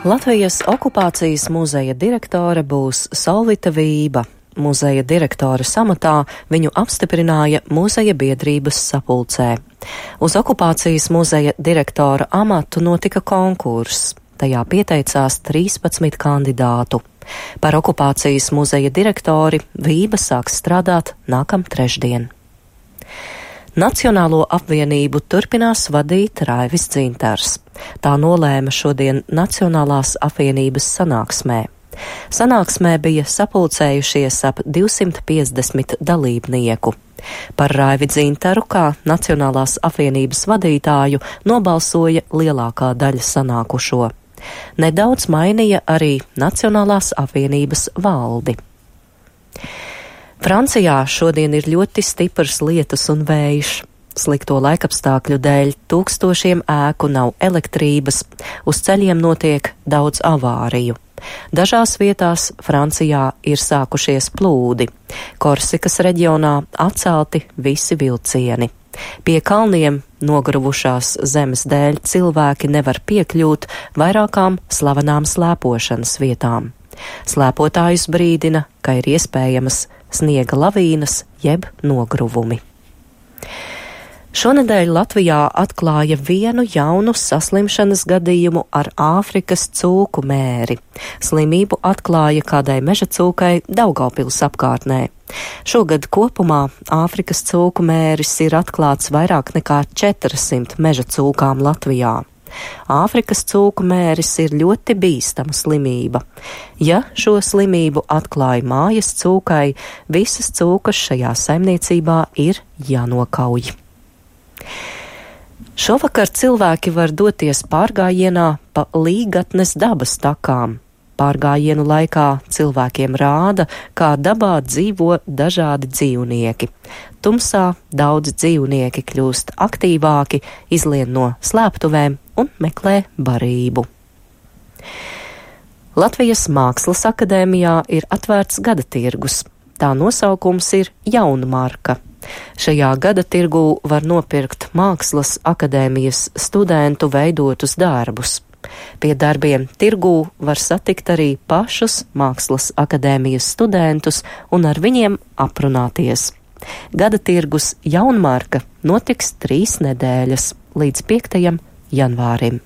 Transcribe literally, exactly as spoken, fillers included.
Latvijas okupācijas muzeja direktore būs Solvita Vība. Muzeja direktora amatā viņu apstiprināja muzeja biedrības sapulcē. Uz okupācijas muzeja direktora amatu notika konkurss. Tajā pieteicās trīspadsmit kandidātu. Par okupācijas muzeja direktori Vība sāks strādāt nākam trešdien. Nacionālo apvienību turpinās vadīt Raivis Dzintars. Tā nolēma šodien Nacionālās apvienības sanāksmē. Sanāksmē bija sapulcējušies ap divsimt piecdesmit dalībnieku. Par Raivi Dzintaru kā Nacionālās apvienības vadītāju nobalsoja lielākā daļa sanākušo. Nedaudz mainīja arī Nacionālās apvienības valdi. Francijā šodien ir ļoti stiprs lietus un vējš. Slikto laikapstākļu dēļ tūkstošiem ēku nav elektrības, uz ceļiem notiek daudz avāriju. Dažās vietās Francijā ir sākušies plūdi. Korsikas reģionā atcelti visi vilcieni. Pie kalniem nogruvušās zemes dēļ cilvēki nevar piekļūt vairākām slavenām slēpošanas vietām. Slēpotājus brīdina, ka ir iespējamas sniega lavīnas jeb nogruvumi. Šonedēļ Latvijā atklāja vienu jaunu saslimšanas gadījumu ar Āfrikas cūku mēri. Slimību atklāja kādai meža cūkai Daugavpils apkārtnē. Šogad kopumā Āfrikas cūku mēris ir atklāts vairāk nekā četrsimt meža cūkām Latvijā. Āfrikas cūku mēris ir ļoti bīstama slimība. Ja šo slimību atklāja mājas cūkai, visas cūkas šajā saimniecībā ir jānokauj. Šovakar cilvēki var doties pārgājienā pa Līgatnes dabas takām. Pārgājienu laikā cilvēkiem rāda, kā dabā dzīvo dažādi dzīvnieki. Tumsā daudz dzīvnieki kļūst aktīvāki, izlien no slēptuvēm un meklē barību. Latvijas Mākslas akadēmijā ir atvērts gada tirgus. Tā nosaukums ir Jaunmarka. Šajā gada tirgū var nopirkt Mākslas akadēmijas studentu veidotus darbus. Pie darbiem tirgū var satikt arī pašus Mākslas akadēmijas studentus un ar viņiem aprunāties. Gada tirgus Jaunmarka notiks trīs nedēļas līdz piektajam janvārim.